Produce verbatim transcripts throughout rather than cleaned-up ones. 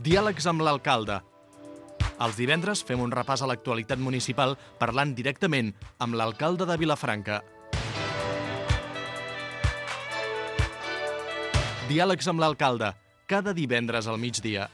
Diàlegs amb l'alcalde. Els divendres fem un repàs a l'actualitat municipal parlant directament amb l'alcalde de Vilafranca. Diàlegs amb l'alcalde, cada divendres al migdia.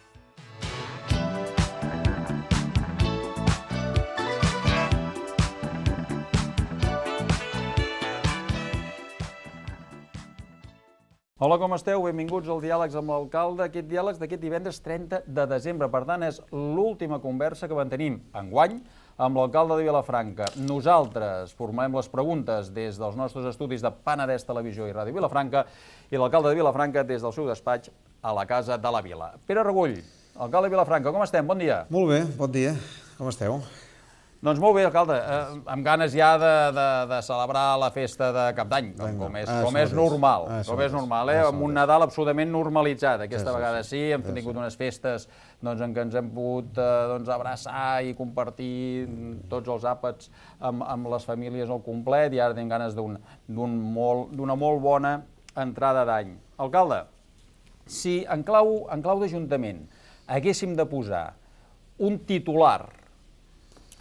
Hola, com esteu? Benvinguts al Diàlegs amb l'alcalde. Aquest diàlegs d'aquest divendres trenta de desembre. Per tant, és l'última conversa que mantenim enguany amb l'alcalde de Vilafranca. Nosaltres formulem les preguntes des dels nostres estudis de Penedès Televisió i Ràdio Vilafranca i l'alcalde de Vilafranca des del seu despatx a la Casa de la Vila. Pere Regull, alcalde de Vilafranca, com estem? Bon dia. Molt bé, bon dia. Com esteu? Doncs molt bé, alcalde, eh, amb ganes ja de, de, de celebrar la festa de Cap d'Any, com, com, és, com és normal, ah, com és normal, eh? Amb un Nadal absolutament normalitzat. Aquesta vegada sí, hem tingut unes festes doncs, en què ens hem pogut eh, doncs, abraçar i compartir tots els àpats amb, amb les famílies al complet i ara tenim ganes d'una un molt, molt bona entrada d'any. Alcalde, si en clau, en clau d'Ajuntament haguéssim de posar un titular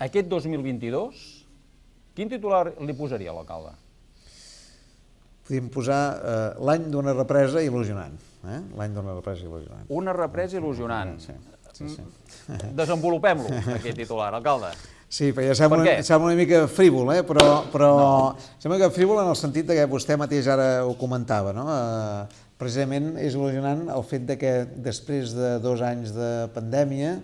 aquest dos mil vint-i-dos, quin titular li posaria a l'alcalde? Podríem posar eh, l'any d'una represa il·lusionant. Eh? L'any d'una represa il·lusionant. Una represa il·lusionant. Sí, sí, sí. Desenvolupem-lo, aquest titular, alcalde. Sí, perquè sembla, una, sembla una mica frívol, eh? però, però no. Sembla que frívol en el sentit que vostè mateix ara ho comentava, no? Eh, precisament és il·lusionant el fet de que després de dos anys de pandèmia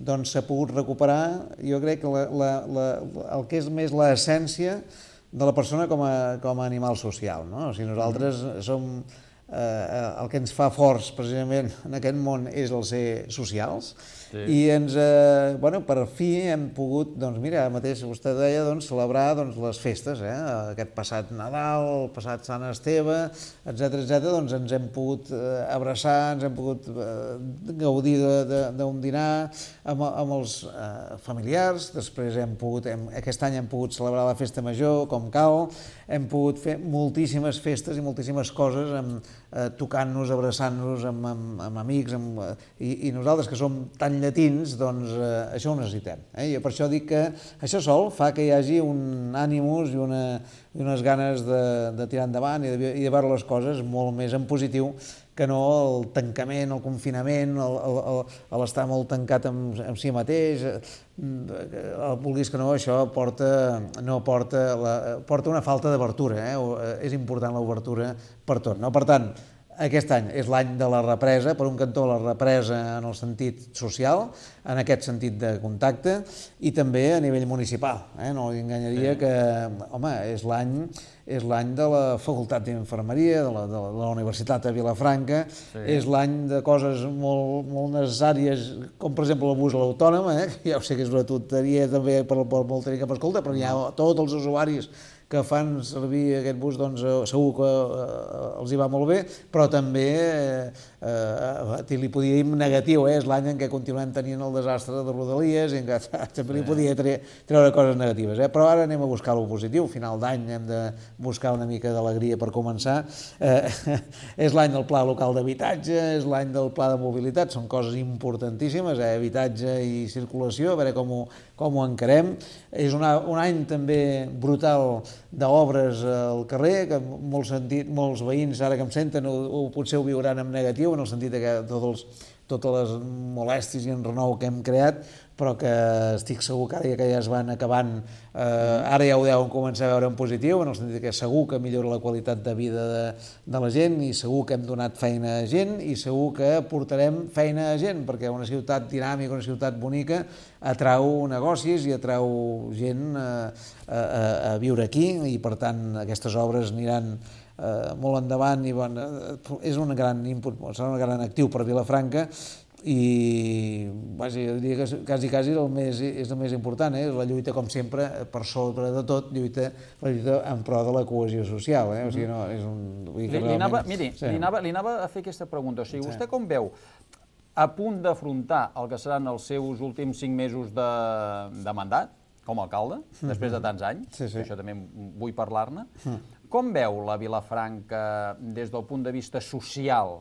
doncs s'ha pogut recuperar, jo crec que la, la, la, el que és més l'essència de la persona com a, com a animal social. No? O sigui, nosaltres som, eh, el que ens fa forts precisament en aquest món és el ser socials, sí. I ens, eh, bueno, per fi hem pogut, doncs mira, ara mateix vostè deia, doncs, celebrar doncs, les festes, eh? Aquest passat Nadal, el passat Sant Esteve, etcètera, etcètera, doncs ens hem pogut eh, abraçar, ens hem pogut eh, gaudir d'un dinar amb, amb els eh, familiars, després hem pogut, hem, aquest any hem pogut celebrar la festa major com cal, hem pogut fer moltíssimes festes i moltíssimes coses, amb, eh, tocant-nos, abraçant-nos amb, amb, amb amics, amb, i, i nosaltres que som tan llatins, doncs eh, això ho necessitem. Eh? I per això dic que això sol fa que hi hagi un ànimus i, una, i unes ganes de, de tirar endavant i de, i de veure les coses molt més en positiu que no el tancament, el confinament, l'estar molt tancat amb, amb si mateix, el vulguis que no, això porta, no porta, la, porta una falta d'obertura, eh? És important l'obertura per tot. No? Per tant, aquest any és l'any de la represa, per un cantó la represa en el sentit social, en aquest sentit de contacte, i també a nivell municipal. Eh? No li enganyaria sí. que, home, és l'any és l'any de la Facultat d'Infermeria, de, la, de la Universitat de Vilafranca, sí. És l'any de coses molt, molt necessàries, com per exemple el bus a l'autònom, eh? Ja ho sé que és una tonteria també per el molt tenir cap escolta, però hi ha tots els usuaris que fan servir aquest bus, doncs segur que els hi va molt bé, però també eh, li podia dir negatiu, eh? És l'any en què continuem tenint el desastre de Rodalies i en què també li podia treure coses negatives. Eh? Però ara anem a buscar lo positiu, final d'any hem de buscar una mica d'alegria per començar. Eh, és l'any del Pla Local d'Habitatge, és l'any del Pla de Mobilitat, són coses importantíssimes, eh? Habitatge i circulació, a veure com ho, com ho encarem. És una, un any també brutal d'obres al carrer, que molts, sentit, molts veïns, ara que em senten, o, o potser ho viuran en negatiu, en el sentit que tots els, totes les molèsties i enrenou que hem creat, però que estic segur que ara que ja es van acabant, eh, ara ja ho deuen començar a veure en positiu, en el sentit que segur que millora la qualitat de vida de, de la gent i segur que hem donat feina a gent i segur que portarem feina a gent, perquè una ciutat dinàmica, una ciutat bonica, atrau negocis i atrau gent a, a, a viure aquí i per tant aquestes obres aniran eh, molt endavant i bon, és un gran input, serà un gran actiu per Vilafranca i vaja, jo diria que quasi, quasi el més, és el més important, eh? La lluita, com sempre, per sobre de tot, lluita, la lluita en pro de la cohesió social. Eh? O sigui, no, és un, vull dir que li, anava, miri, sí. li, anava, li anava a fer aquesta pregunta. O sigui, vostè com veu a punt d'afrontar el que seran els seus últims cinc mesos de, de mandat, com a alcalde, mm-hmm. després de tants anys, sí, sí. Això també vull parlar-ne, mm. Com veu la Vilafranca des del punt de vista social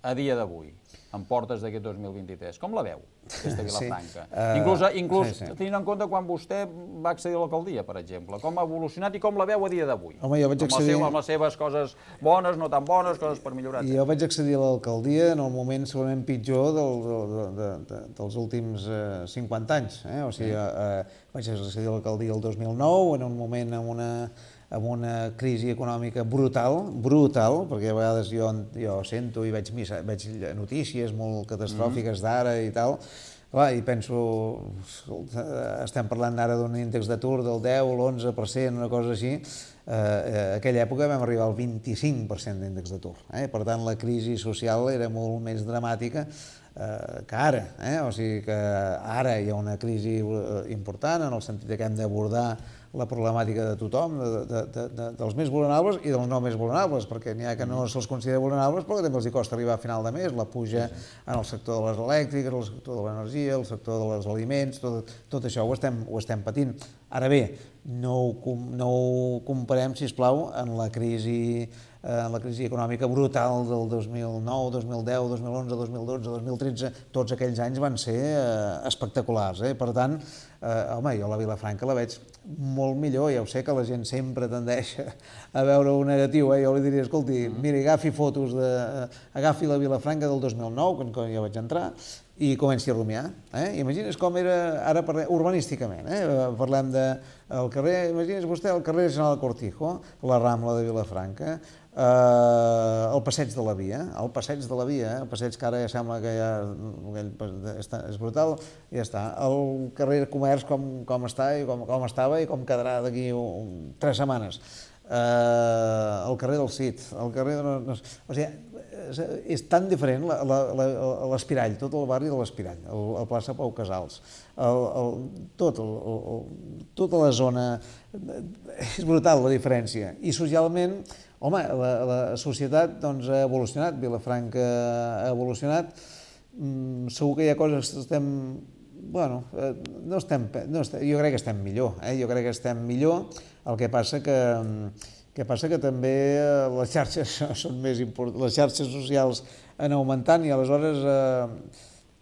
a dia d'avui, en portes d'aquest dos mil vint-i-tres, com la veu, aquesta Vilafranca? Inclús, inclús tenint en compte quan vostè va accedir a l'alcaldia, per exemple, com ha evolucionat i com la veu a dia d'avui? Home, jo vaig accedir... Amb les seves coses bones, no tan bones, coses per millorar. Jo vaig accedir a l'alcaldia en el moment segurament pitjor dels últims cinquanta anys. O sigui, vaig accedir a l'alcaldia el dos mil nou, en un moment amb una... amb una crisi econòmica brutal, brutal, perquè a vegades jo, jo sento i veig, veig notícies molt catastròfiques d'ara i tal, clar, i penso, estem parlant ara d'un índex d'atur del deu, l'onze per cent, una cosa així, eh, a aquella època vam arribar al vint-i-cinc per cent d'índex d'atur. Eh? Per tant, la crisi social era molt més dramàtica eh, que ara. Eh? O sigui que ara hi ha una crisi important en el sentit que hem d'abordar la problemàtica de tothom, de, de, de, de, dels més vulnerables i dels no més vulnerables, perquè n'hi ha que no se'ls considera vulnerables, però que també els costa arribar a final de mes, la puja en el sector de les elèctriques, el sector de l'energia, el sector dels aliments, tot, tot això ho estem, ho estem patint. Ara bé, no ho, no ho comparem, sisplau, en la crisi en la crisi econòmica brutal del dos mil nou, dos mil deu, dos mil onze, dos mil dotze, dos mil tretze, tots aquells anys van ser eh, espectaculars. Eh? Per tant, eh, home, jo la Vilafranca la veig molt millor, ja ho sé que la gent sempre tendeix a veure-ho negatiu, eh? Jo li diria, escolti, miri, agafi fotos de... agafi la Vilafranca del dos mil nou, quan jo vaig entrar, i comenci a rumiar. Eh? Imagines com era, ara parlem, urbanísticament, eh? Parlem del carrer, imagines vostè el carrer General Cortijo, la Rambla de Vilafranca, Uh, el passeig de la Via, el passeig de la Via, el passeig que ara ja sembla que ja és brutal, i ja està. El carrer Comerç com, com està i com, com estava i com quedarà d'aquí tres setmanes. Uh, el carrer del Cid, el carrer... De, no, o sigui, és tan diferent l'Espirall, tot el barri de l'Espirall, el, el plaça Pau Casals, el, el, tot, el, el, tota la zona, és brutal la diferència. I socialment, home, la, la societat doncs, ha evolucionat, Vilafranca ha evolucionat, mm, segur que hi ha coses que estem... Bueno, no estem, no estem, jo crec que estem millor, eh? Jo crec que estem millor, el que passa que... El que passa que també les xarxes són més importants, les xarxes socials han augmentant i aleshores eh,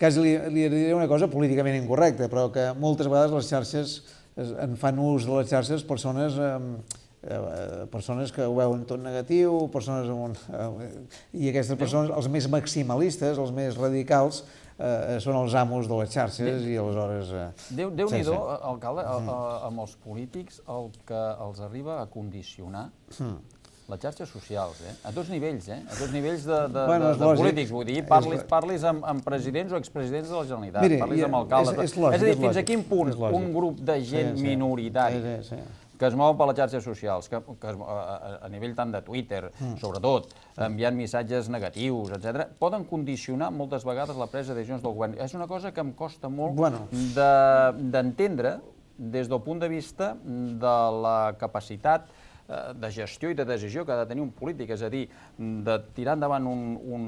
quasi li, li diré una cosa políticament incorrecta, però que moltes vegades les xarxes en fan ús de les xarxes persones, eh, persones que ho veuen tot negatiu, persones amb un, eh, i aquestes persones, els més maximalistes, els més radicals, Eh, són els amos de les xarxes i aleshores... Eh, Déu-n'hi-do, sí, sí. Alcalde, a, a, amb els polítics el que els arriba a condicionar mm. les xarxes socials, eh? A tots nivells, eh? A tots nivells de, de, bueno, de, de polítics, vull dir, parlis, parlis amb, amb presidents o expresidents de la Generalitat, Miri, parlis amb alcaldes... És, és, lògic, és a dir, fins a quin punt un grup de gent sí, sí. minoritari sí, sí, sí. que es mou per les xarxes socials, que, que es, a, a nivell tant de Twitter, mm. sobretot, enviant missatges negatius, etcètera, poden condicionar moltes vegades la presa de decisions del govern. És una cosa que em costa molt bueno. d'entendre de, des del punt de vista de la capacitat de gestió i de decisió que ha de tenir un polític, és a dir, de tirar endavant un, un,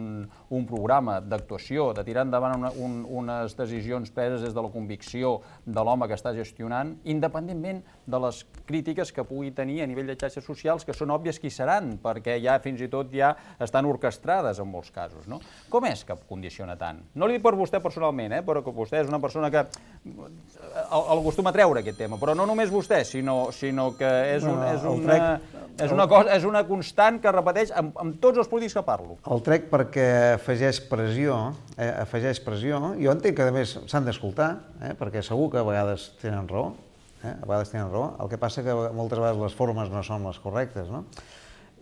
un programa d'actuació, de tirar endavant una, un, unes decisions preses des de la convicció de l'home que està gestionant, independentment de les crítiques que pugui tenir a nivell de xarxes socials, que són òbvies que hi seran, perquè ja fins i tot ja estan orquestrades en molts casos, no? Com és que condiciona tant? No li dic per vostè personalment, eh? Però que vostè és una persona que el, el acostuma a treure aquest tema, però no només vostè, sinó, sinó que és, un, és una... És una, cosa, és una constant que repeteix amb, amb tots els polítics que parlo. El trec perquè afegeix pressió, eh, afegeix pressió. Jo entenc que, a més, s'han d'escoltar, eh, perquè segur que a vegades tenen raó, eh, a vegades tenen raó. El que passa que moltes vegades les formes no són les correctes, no?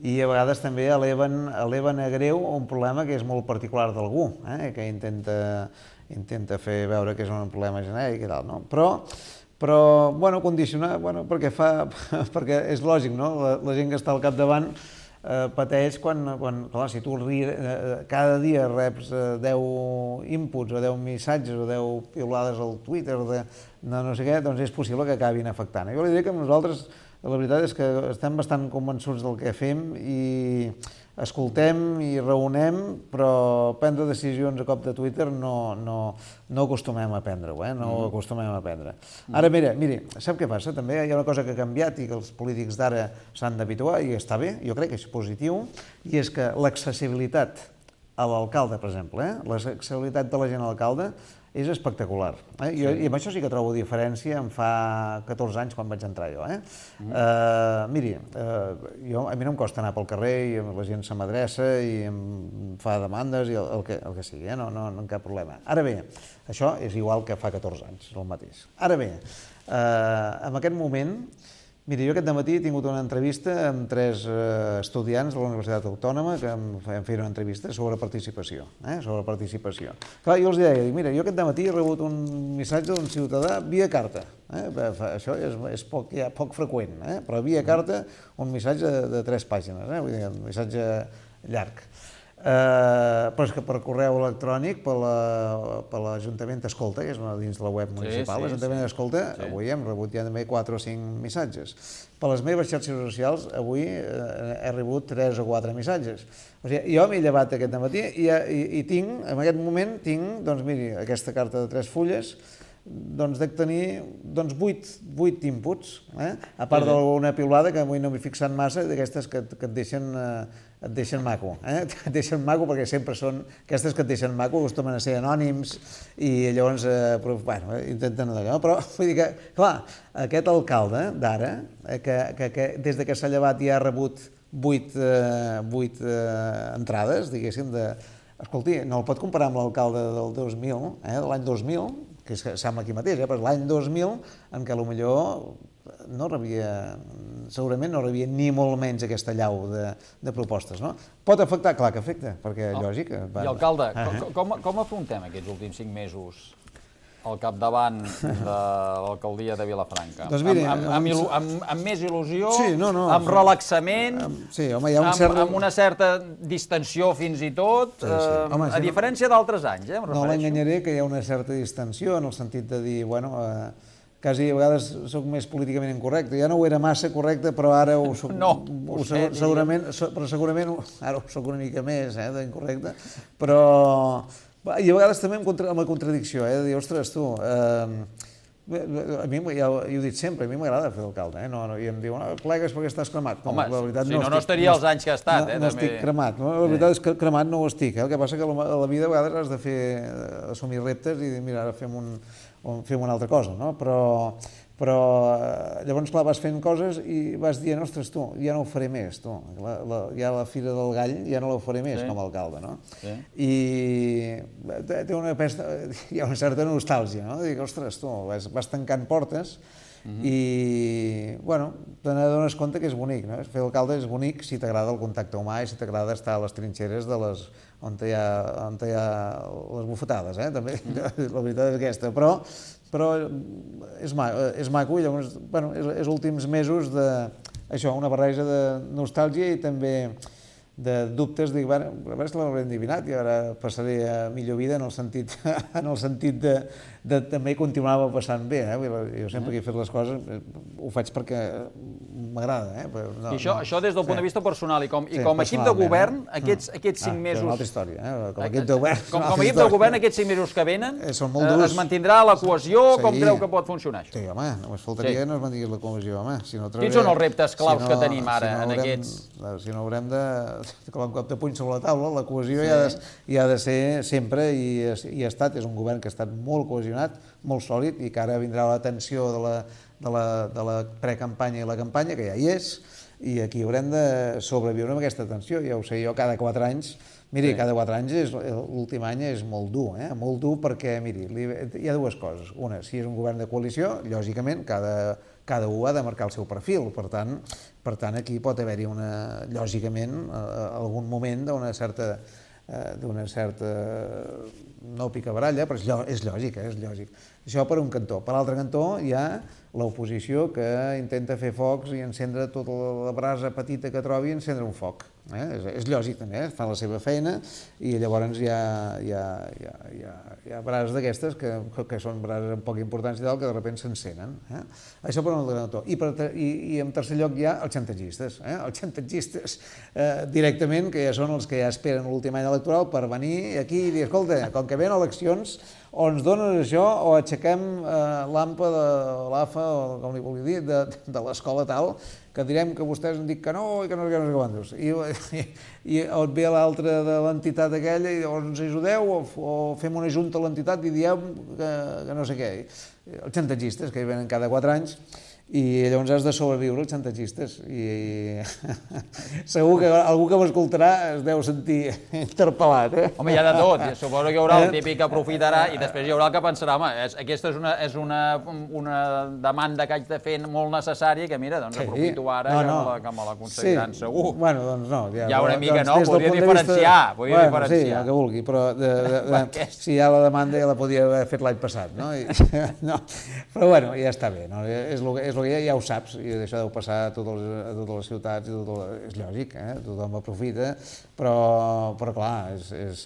I a vegades també eleven, eleven a greu un problema que és molt particular d'algú, eh, que intenta, intenta fer veure que és un problema genèric i tal, no? Però Però, bueno, condicionar, bueno, perquè fa, perquè és lògic, no? La, la gent que està al capdavant eh, pateix quan, quan, clar, si tu eh, cada dia reps eh, deu inputs o deu missatges o deu piulades al Twitter de, de no sé què, doncs és possible que acabin afectant. Jo li diré que nosaltres, la veritat és que estem bastant convençuts del que fem i escoltem i raonem, però prendre decisions a cop de Twitter no, no, no acostumem a prendre-ho, eh? No ho acostumem a prendre. Ara, mira, miri, sap què passa? També hi ha una cosa que ha canviat i que els polítics d'ara s'han d'habituar, i està bé, jo crec que és positiu, i és que l'accessibilitat a l'alcalde, per exemple, eh? L'accessibilitat de la gent a l'alcalde és espectacular. Eh? Sí. Jo, I amb això sí que trobo diferència en fa catorze anys quan vaig entrar jo. Eh? Mm. Uh, miri, uh, jo, a mi no em costa anar pel carrer i la gent se m'adreça i em fa demandes i el, el, que, el que sigui, eh? no, no, no cap problema. Ara bé, això és igual que fa catorze anys, és el mateix. Ara bé, uh, en aquest moment, miri, jo aquest dematí he tingut una entrevista amb tres eh, estudiants de la Universitat Autònoma que em feien una entrevista sobre participació. Eh? Sobre participació. Clar, jo els deia, dic, mira, jo aquest dematí he rebut un missatge d'un ciutadà via carta. Eh? Això és, és poc, ja, poc freqüent, eh? Però via carta un missatge de, de tres pàgines, eh? Vull dir, un missatge llarg. Uh, però és que per correu electrònic, per l'Ajuntament Escolta, que és una dins de la web municipal, sí, sí, l'Ajuntament sí. Escolta, sí. Avui hem rebut ja també quatre o cinc missatges. Per les meves xarxes socials, avui uh, he rebut tres o quatre missatges. O sigui, jo m'he llevat aquest matí i, i, i tinc, en aquest moment, tinc, doncs miri, aquesta carta de tres fulles, doncs dec tenir doncs, vuit, vuit inputs, eh? A part d'alguna piulada que avui no m'he fixat massa, d'aquestes que, que et deixen, eh, et deixen maco, eh? Et deixen maco perquè sempre són, aquestes que et deixen maco acostumen a ser anònims i llavors, eh, però, bueno, intenten no, però vull dir que, clar, aquest alcalde d'ara, eh, que, que, que des de que s'ha llevat ja ha rebut vuit, eh, vuit eh, entrades, diguéssim, de... Escolti, no el pot comparar amb l'alcalde del dos mil, eh, de l'any dos mil, que sembla aquí mateix, eh, però l'any dos mil, en què potser no rebia, segurament no rebia ni molt menys aquesta llau de, de propostes, no? Pot afectar? Clar que afecta, perquè oh. lògic... Va, I alcalde, uh -huh. com, com afrontem aquests últims cinc mesos al capdavant de l'alcaldia de Vilafranca? Doncs miri, amb, amb, amb, amb, amb més il·lusió, sí, no, no, amb relaxament, amb, sí, home, hi ha un amb, cert... amb una certa distensió fins i tot, sí, sí. Eh, home, a diferència no, d'altres anys, eh, em refereixo. No l'enganyaré que hi ha una certa distensió en el sentit de dir, bueno, eh, quasi a vegades soc més políticament incorrecte. Ja no ho era massa correcte, però ara ho soc... No, ho sé, segurament, però segurament ara ho soc una mica més, eh, d'incorrecte, però... I a vegades també amb la contradicció, eh, de dir, ostres, tu, eh, a mi, ja ho he dit sempre, a mi m'agrada fer d'alcalde, eh, no, no, i em diuen, no, plegues perquè estàs cremat. Home, no, la veritat, si no, no, no estaria els anys que ha estat, no, eh, no també. estic cremat, no? La veritat és que cremat no ho estic, eh, el que passa que a la vida a vegades has de fer, assumir reptes i dir, mira, ara fem, un, fem una altra cosa, no? Però... però llavors, clar, vas fent coses i vas dient, ostres, tu, ja no ho faré més, tu, la, la, ja la Fira del Gall ja no la faré més sí. com a alcalde, no? Sí. I té una pesta, hi ha una certa nostàlgia, no? Dic, ostres, tu, vas, vas tancant portes uh-huh. i, bueno, te n'adones compte que és bonic, no? Fer d'alcalde és bonic si t'agrada el contacte humà i si t'agrada estar a les trinxeres de les, on hi ha, on hi ha les bufetades, eh? També, uh-huh. la veritat és aquesta, però però és maco, és maco i llavors, bueno, és, és últims mesos de, això, una barreja de nostàlgia i també de dubtes, dic, bueno, a veure si l'hauré endivinat i ara passaré a millor vida en el sentit, en el sentit de, de també continuava passant bé, eh? Jo sempre que he fet les coses ho faig perquè m'agrada, eh? Però no, I això, no, això des del sí. punt de vista personal i com, sí, i com a equip de govern, eh? aquests, aquests cinc ah, mesos... És una altra història, eh? Com a equip de govern... Com, com a equip de govern, aquests cinc mesos que venen, eh, són molt durs. Es mantindrà la cohesió, sí. Com creu que pot funcionar això? Sí, home, només faltaria sí. que no es mantingués la cohesió, home. Si no Quins són els reptes claus si no, que tenim ara si no en haurem, aquests... Si no haurem de... Com un cop de puny sobre la taula, la cohesió sí. hi, ha de, hi ha de ser sempre i, i ha estat, és un govern que ha estat molt cohesionat, molt sòlid i que ara vindrà l'atenció de la, de la, de la precampanya i la campanya, que ja hi és, i aquí haurem de sobreviure amb aquesta tensió. Ja ho sé jo, cada quatre anys, miri, sí. cada quatre anys, l'últim any és molt dur, eh? molt dur perquè, miri, hi ha dues coses. Una, si és un govern de coalició, lògicament, cada, cada un ha de marcar el seu perfil, per tant, per tant aquí pot haver-hi, una, lògicament, algun moment d'una certa, d'una certa, no picabaralla, però és lògic, eh? és lògic. Això per un cantó. Per l'altre cantó hi ha l'oposició que intenta fer focs i encendre tota la brasa petita que trobi i encendre un foc. Eh? És, és lògic també, eh? Fan la seva feina i llavors hi ha, hi ha, hi ha, hi ha, hi ha brases d'aquestes que, que són brases amb poca importància i tal, que de sobte s'encenen. Eh? Això per un altre cantó. I, per, i, i en tercer lloc hi ha els xantatgistes. Eh? Els xantatgistes eh, directament, que ja són els que ja esperen l'últim any electoral per venir aquí i dir, escolta, com que ven eleccions, o ens dones això o aixequem l'ampa de l'A F A, o com li vulgui dir, de l'escola tal, que direm que vostès han dit que no i que no sé què, no sé què quantos. I, i et ve l'altre de l'entitat aquella i o ens ajudeu o, o fem una junta a l'entitat i diem que, que no sé què. Els xantatgistes, que hi venen cada quatre anys, i llavors has de sobreviure els xantatgistes. I segur que algú que m'escoltarà es deu sentir interpel·lat, eh? Home, hi ha de tot. Suposo que hi haurà el típic que aprofitarà i després hi haurà el que pensarà, home, aquesta és una, és una, una demanda que haig de fer molt necessària que, mira, doncs aprofito ara no, no. que, me la, que me l'aconseguiran, sí. segur. Bueno, doncs no. Ja, ja una mica, doncs, no? Podria diferenciar. Vista... Podria bueno, diferenciar. Sí, el que vulgui, però de, de, de, si hi ha la demanda ja la podria haver fet l'any passat, no? I, no? Però bueno, ja està bé, no? És el que, és el que ja, ja ho saps, i això deu passar a totes les, a totes les ciutats, i tot, és lògic, eh? Tothom aprofita, però, però clar, és, és,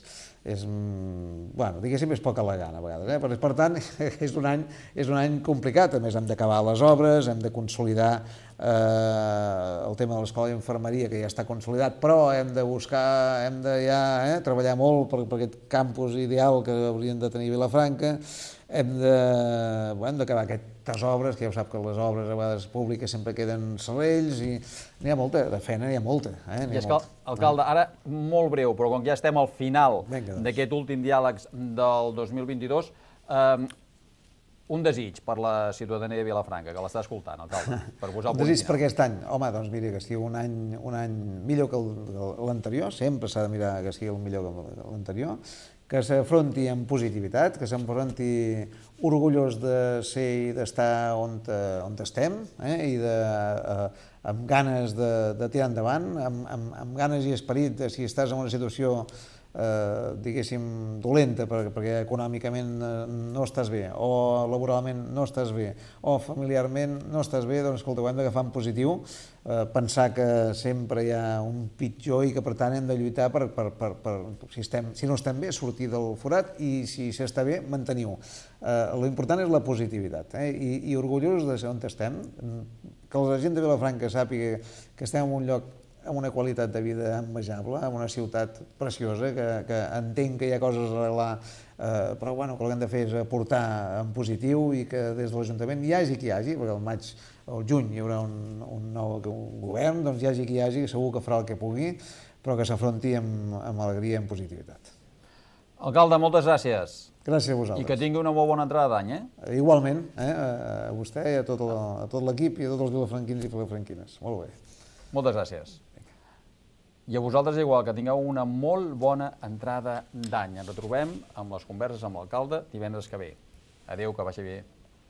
és, bueno, diguéssim, és poca la gana a vegades, eh? Per, per tant, és un, any, és un any complicat, a més hem d'acabar les obres, hem de consolidar eh, el tema de l'escola d'infermeria, que ja està consolidat, però hem de buscar, hem de ja eh, treballar molt per, per aquest campus ideal que haurien de tenir Vilafranca, hem de, bueno, d'acabar aquestes obres, que ja ho sap que les obres a vegades públiques sempre queden serrells i n'hi ha molta, de feina n'hi ha molta. Eh? I és que, alcalde, ara molt breu, però com que ja estem al final d'aquest últim diàleg del dos mil vint-i-dos, eh, un desig per la ciutadania de Vilafranca, que l'està escoltant, alcalde, per posar el punt final. Un desig per aquest any? Home, doncs miri, que sigui un any, un any millor que l'anterior, sempre s'ha de mirar que sigui el millor que l'anterior, que s'afronti amb positivitat, que s'afronti orgullós de ser i d'estar on, on estem, eh? I de, eh, amb ganes de, de tirar endavant, amb, amb, amb ganes i esperit de si estàs en una situació eh, diguéssim, dolenta perquè, perquè econòmicament no estàs bé, o laboralment no estàs bé, o familiarment no estàs bé, doncs escolta, ho hem d'agafar en positiu, eh, pensar que sempre hi ha un pitjor i que per tant hem de lluitar per, per, per, per si, estem, si no estem bé, sortir del forat, i si s'està bé, mantenir-ho. Eh, L'important és la positivitat, eh? I, i orgullós de ser on estem, que la gent de Vilafranca sàpiga que estem en un lloc amb una qualitat de vida envejable, en una ciutat preciosa, que, que entenc que hi ha coses a arreglar, eh, però bueno, que el que hem de fer és aportar en positiu i que des de l'Ajuntament hi hagi qui hi hagi, perquè al maig o al juny hi haurà un, un nou un govern, doncs hi hagi qui hi hagi, segur que farà el que pugui, però que s'afronti amb, amb alegria i amb positivitat. Alcalde, moltes gràcies. Gràcies a vosaltres. I que tingui una molt bona entrada d'any, eh? Igualment, eh? A vostè i a tot, la, a tot l'equip i a tots els vilafranquins i vilafranquines. Molt bé. Moltes gràcies. I a vosaltres igual, que tingueu una molt bona entrada d'any. Ens retrobem amb les converses amb l'alcalde divendres que ve. Adéu, que vagi bé.